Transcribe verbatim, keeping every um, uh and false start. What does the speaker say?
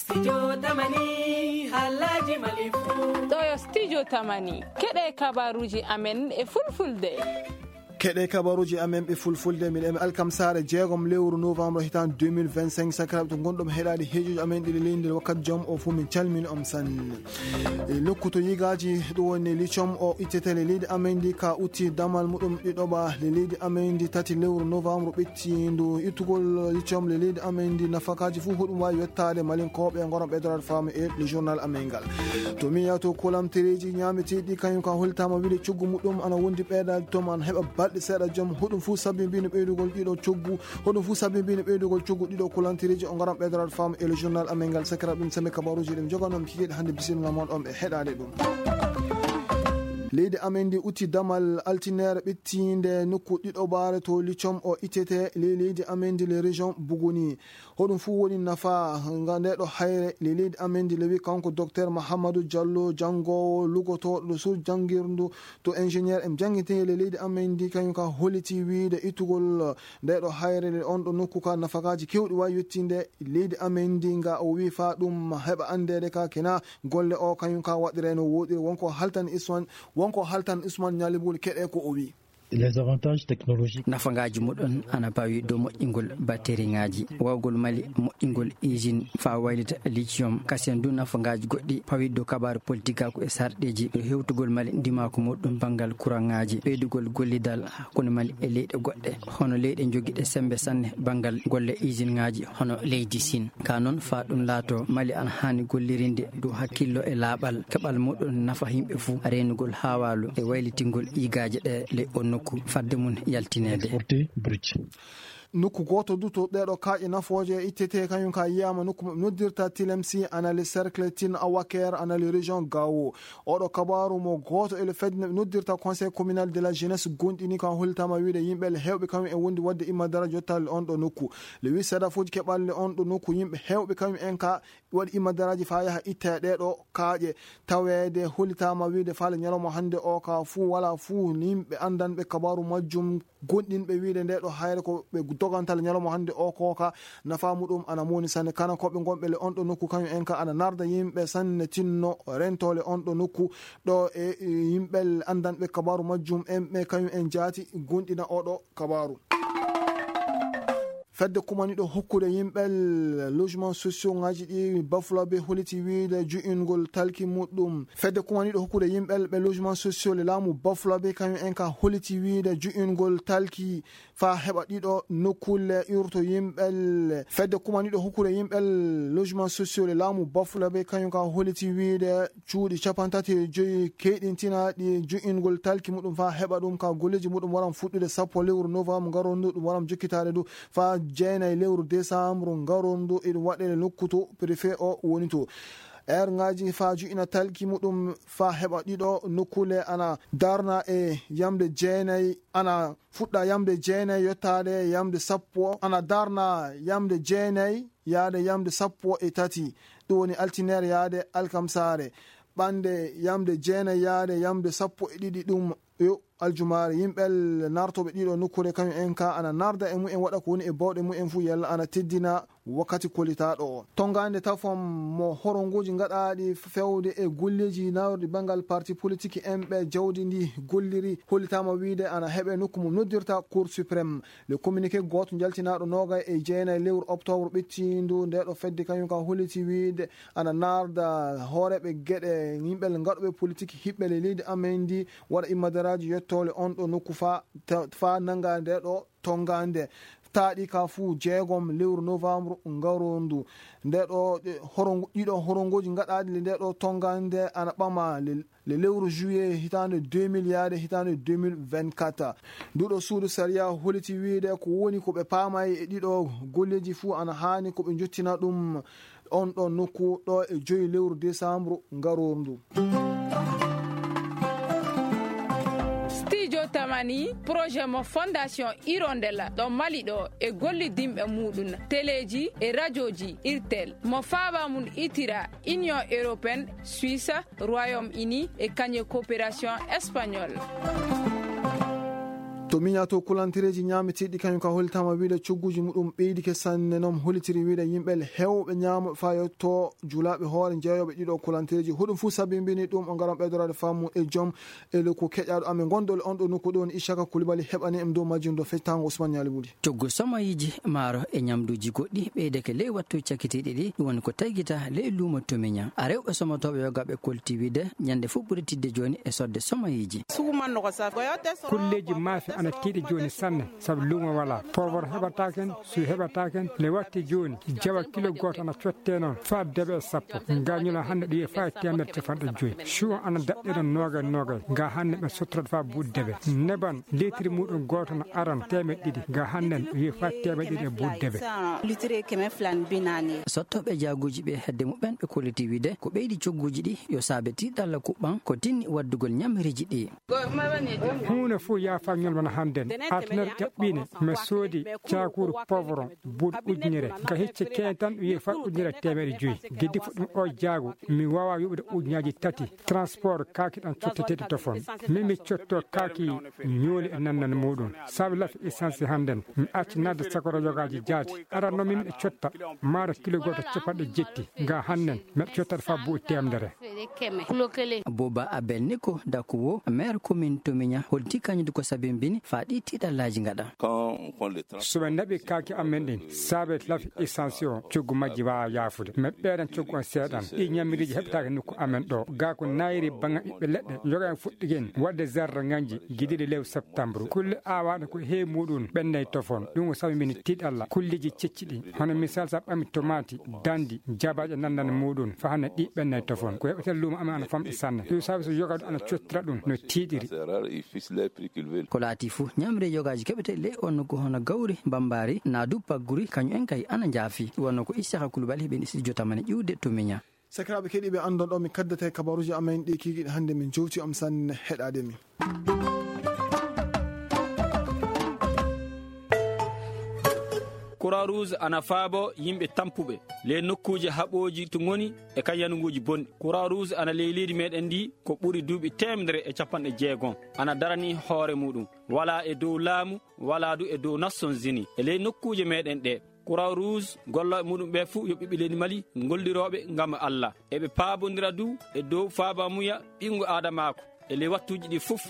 Studio Tamani, halaji Mali fu. Ɗo yo Studio Tamani. Keɗe kabaruji amen e fulfulde. Keɗe kabaruji amen ɓe fulfulde, miɗo emi Alkam Saare, jeegom lewru novembre hitan deux mille vingt-cinq. Sakiraaɓe to ngonɗon heɗaade heejoji amen ɗiɗi leydi nder wakkati jom o fu, min calmini on sanne. E nokku to yigaaji, ɗum woni lithium o ittetee le leydi amen ndi ka utti damal muɗum ɗiɗoɓa le leydi amen ndi tati lewru novembre ɓettiindu ittugol lithium le leydi amen ndi. Nafakaaji fuu hoɗum waawi yottaade Malinkooɓe e ngoron ɓeydoraade faamu e le journal amen ngal. To min yaha to kulantereeji ñaameteeɗi, kañum ka hollitaama wiide coggu muɗum ana wondi ɓeydaaji to man heɓa balɗe seeɗa jom. Hoɗum fuu sabbinbino ɓeydugol ɗiɗo coggu, hoɗum fuu sabbinbino ɓeydugol coggu ɗiɗo kulantereeji o ngoron ɓeydoraade faamu e le journal amen ngal. Sakiraaɓe, ɗum sami kabaruuji ɗum joganoo mi kikiiɗe hannde, bisimilla mon on ɓe heɗaade ɗum. Leydi amen ndi utti damal altineere ɓettiinde nokku ɗiɗoɓaare to lithium o ittetee ley leydi amen ndi le région Bougouni. Hoɗum fuu woni nafa nga nde ɗo hayre le leydi amen ndi, lewi kanko Docteur Mahamadou Diallo, janngoowo lugotooɗo ɗo suudu janngirndu to ingénieur en janngintee le leydi amen ndi, kañum ka holliti wiide ittugol nde ɗo hayre le on ɗo nokku ka nafakaaji keewɗi waawi yettinde leydi amen ndi nga o wii faa ɗum heɓa anndeede ka kena golle o kañum ka waɗiree no wooɗiri. Wonko haltan Usman, wonko haltan Usman Ñalibul keɗe ko o wii. Les avantages technologiques. Nafagaaji muɗum ana pawi dow moƴƴingol batteriŋaaji, waawgol Mali moƴƴingol usine faa waylita lithium. Kasen du nafagaaji goɗɗi pawi dow kabaaru politikaaku e sarɗeeji, dow hewtugol Mali ndimaaku muɗum banngal kuraŋaaji, ɓeydugol gollidal hakkunde Mali e leyɗe goɗɗe, hono leyɗe jogiiɗe semmbe sanne banngal golle usine ŋaaji hono leydi Siin. Ka noon, faa ɗum laato, Mali ana haani gollirinde dow hakkillo e laaɓal, keɓal muɗum nafa yimɓe fuu, reenugol haawaalu e waylitingol yigaaje ɗe ley on nokku fadde mum yaltineede. Exporter brut. Nokku gooto du to ɗee ɗoo kaaƴe nafooje ittetee, kañum ka yiyaama nokku mo noddirta Tilemsi, ana le cercle Tin Awaker, ana le région Gao. Oɗo kabaaru mo gooto e le fedde noddirta Conseil communal de la jeunesse gonɗini, ka hollitaama wiide yimɓe le heewɓe kañum en wondi waɗde imma daraja yottaali on ɗo nokku. Le huit seeɗa fuuji keɓaali le on ɗo nokku, yimɓe heewɓe kañum en ka waɗi imma daraaji faa yaha itta e ɗee ɗoo kaaƴe. Taweede hollitaama wiide faale ñalawma hannde o ka fuu walaa fuu yimɓe anndanɓe kabaaru majjum, gonɗinɓe wiide nde ɗo hayre ko ɓe dogantal ñalawma hannde o ko ka nafa muɗum ana moni sanne. Kana ko ɓe gonɓe le on ɗo nokku kañum en ka ana narda yimɓe sanne tinno rentole on ɗo nokku ɗo e yimɓe anndanɓe kabaaru majjum en ɓe kañum en jaati gonɗina oɗo kabaaru. Fedde kumaniɗo hokkude yimɓe logement sociaux ngaji ɗi Bafulabe holiti wiide ju'ingol talki muɗum. Fedde kumaniɗo hokkude yimɓe ɓe logement sociaux le laamu Bafulabe kañum en ka holiti wiide ju'ingol talki faa heɓa ɗiɗo nokkulle urto yimɓe. Fedde kumaniɗo hokkude yimɓe logement sociaux le laamu Bafulabe kañum ka holiti wiide cuuɗi capantati e joyi keyɗintinaaɗi ju'ingol talki muɗum faa heɓa ɗum ka golleeji muɗum waran fuɗɗude sappo lewru novembre ngarondu, ɗum waran jokkitaade du faa jeenayi lewru décembre ngarondu, eɗum waɗe nokku to préfet o woni to. Heure ngaji faa ju'ina talki muɗum faa heɓa ɗiɗo nokkule ana darna e yamde jeenayi, ana fuɗɗa yamde jeenayi yottaade yamde sappo, ana darna yamde jeenayi yaade yamde sappo e tati, ɗum woni altineere yaade alkamsaare. Ɓande yamde jeenayi yaade yamde sappo e ɗiɗi ɗum yo aljumaare. Yimɓe nartooɓe ɗiɗo nokkuure kañum en ka ana narda e mumen waɗa ko woni e bawɗe mumen fuu yalla ana teddina wakkati kolitaaɗo o. Tonngande tafon mo horongoji gaɗaaɗi fewde e golleeji nawrɗi banngal parti politique en ɓe jawdi ndi golliri hollitaama wiide ana heɓe nokku mo noddirta Cour suprême. Le communiqué gooto jaltinaaɗo noogay e jeenayi lewru octobre ɓettiindu nde ɗo fedde kañum ka holliti wiide ana narda hooreeɓe geɗe yimɓe gaɗuɓe politique hiɓɓe le leydi amen ndi waɗa immadaraaji yettoole on ɗo nokku faa ta-, faa nannga nde ɗo tonngande. Taaɗi ka fuu jeegom lewru novembre ngarondu. Nde ɗo ɗe horongo-, ɗiɗo horongooji gaɗaaɗi le nde ɗo tonngande ana ɓama le, le lewru juillet hitaande deux mille yaade hitaande deux mille vingt-quatre. Nduɗo suudu sariya holiti wiide ko woni ko ɓe paamay e ɗiɗo golleeji fuu ana haani ko ɓe njottina ɗum on ɗon nokku ɗo e joyi lewru décembre ngaroor ndu. Studio Tamani, projet mo Fondation Hirondella ɗo Mali ɗo e gollidinɓe muɗum, teleeji e rajooji Irtel, mo faaba mum itira Union Européenne, Suisse, Royaume-Uni e kañe coopération espagnole. To miña to kulantereeji ñaamitiiɗi kañum ka hollitaama wiyde cogguuji muɗum ɓeydike sanne, noon hollitiri wiyde yimɓe heewɓe ñaamooɓe faa yetto julaaɓe hoore jeeyooɓe ɗiɗo kulantereeji. Huɗum fof sabimbini ɗum o ngaran ɓeydoraade faamu e joom e le ko keƴaaɗo amen ngonɗo le on ɗo nokku ɗo woni Ishaka Koulibaly heɓani em dow majjum dow feccitaango Ousmane Ñaali Buli. Coggu somayiiji maaro e ñamduuji goɗɗi ɓeydeke ley wattu cakkitiiɗi ɗi, ɗum woni ko taygita ley luumo Tomiña. A rewɓe somotooɓe yogaaɓe kolti wiyde ñande fof ɓuri tidde jooni e sodde somayiiji. Kulleeji maafe ana tiiɗi jooni sanne, sabu luumo walaa. Poivron heɓataa ken, su heɓataa ken, le watti jooni, jawa kilo gooto ana cottee noon, faa debe e sappo. Ngañula hannde ɗo yehi faa e teemedere capanɗe joyi. Chou ana daɗɗe noon noogay noogay. Nga hannde ɓe sottorata faa buuɗi debe. Neban, litiri muɗum gooto no aran teemedde ɗiɗi. Nga hannde ɗo yehi faa teemedde ɗiɗi e buuɗi debe. Sottooɓe jaaguuji ɓe hedde muɓɓen ɓe kolliti wiyde ko ɓeydi cogguuji ɗi yo saabe tiiɗalla kuɓɓan ko tinni waddugol ñamiriiji ɗi. Huunde fof yaafaa ñolmana hannden. Altinere ƴaɓɓiinde, mi soodi caakuuru poivron buuɗi ujunere. Ka hecce keen tan, wiyee faa ujunere e teemedde joyi. Giddi fuɗɗum o jaagu, mi waawaa yoɓude ujunnaaji tati. Transport kaaki ɗan cotteteeɗi tofon. Min mi cotto kaaki ñooli e nannan muɗum. Sabi lafi essence hannden, mi acci nadde sakoro yogaaji jaati. Aran no min mi cotta, maaro kilo gooto capanɗe jetti. Nga hannden, mi cottata faa buuɗi teemedere. Boba Abel Niko Dakuwo, maire commune Tomiña, holti kañum ko sabimbini faa ɗi tiiɗallaaji ngaɗa. So ɓe naɓi kaaki amen ɗin, saabe lafi essence o, coggu majji waawa yaafude. Mi ɓeeran coggu on seeɗan. Ɗi ñamiriiji heɓtaaki nokku amen ɗo. Gaa ko nayri baŋa ɓiɓɓe leɗɗe, yoga en fuɗɗigen waɗde zarra ŋanji, gidiɗe lewru septembre. Kulle aawaaɗe ko heewi muɗum ɓennay tofon. Ɗum ko sabimbini tiiɗalla. Kulleeji cecci ɗi. Hono misal, sa ɓami tomati, dandi, jabaaje nanndande muɗum, faa hannde ɗi ɓennay tofon. Ko heɓeten luumo amen ana famɗi sanne. Ɗum saabi so yogaaɗo ana cottira ɗum no tiiɗiri. Ko laati fof, ñamre yogaaji keɓete ley on nokku hono gawri, bambaari, naa du pagguri, kañum en kay ana njaafi. Wonno ko Isiyaka Koulibaly heɓen studio tamani ƴiwde to Miña. Sakiraaɓe keɗiiɓe, anndon ɗo mi kaddata e kabaruuji amen ɗi kiikiiɗe hannde min jowti on sanne heɗaade mi. Croix Rouge ana faabo yimɓe tampuɓe ley nokkuuje haɓooji to ngoni e kan yanuguuji bonɗi. Croix Rouge ana ley leydi meɗen ndi ko ɓuri duuɓi teemedere e capanɗe jeegom. Ana darani hoore muɗum. Walaa e dow laamu, walaa du e dow Nations Unies. E ley nokkuuje meɗen ɗe, Croix Rouge gollooɓe muɗum ɓe fuu yo ɓiɓɓe leydi Mali gollirooɓe ngam Allah. Eɓe paabondira du e dow faabamuya ɓinngu aadamaaku. E ley wattuuji ɗi fof,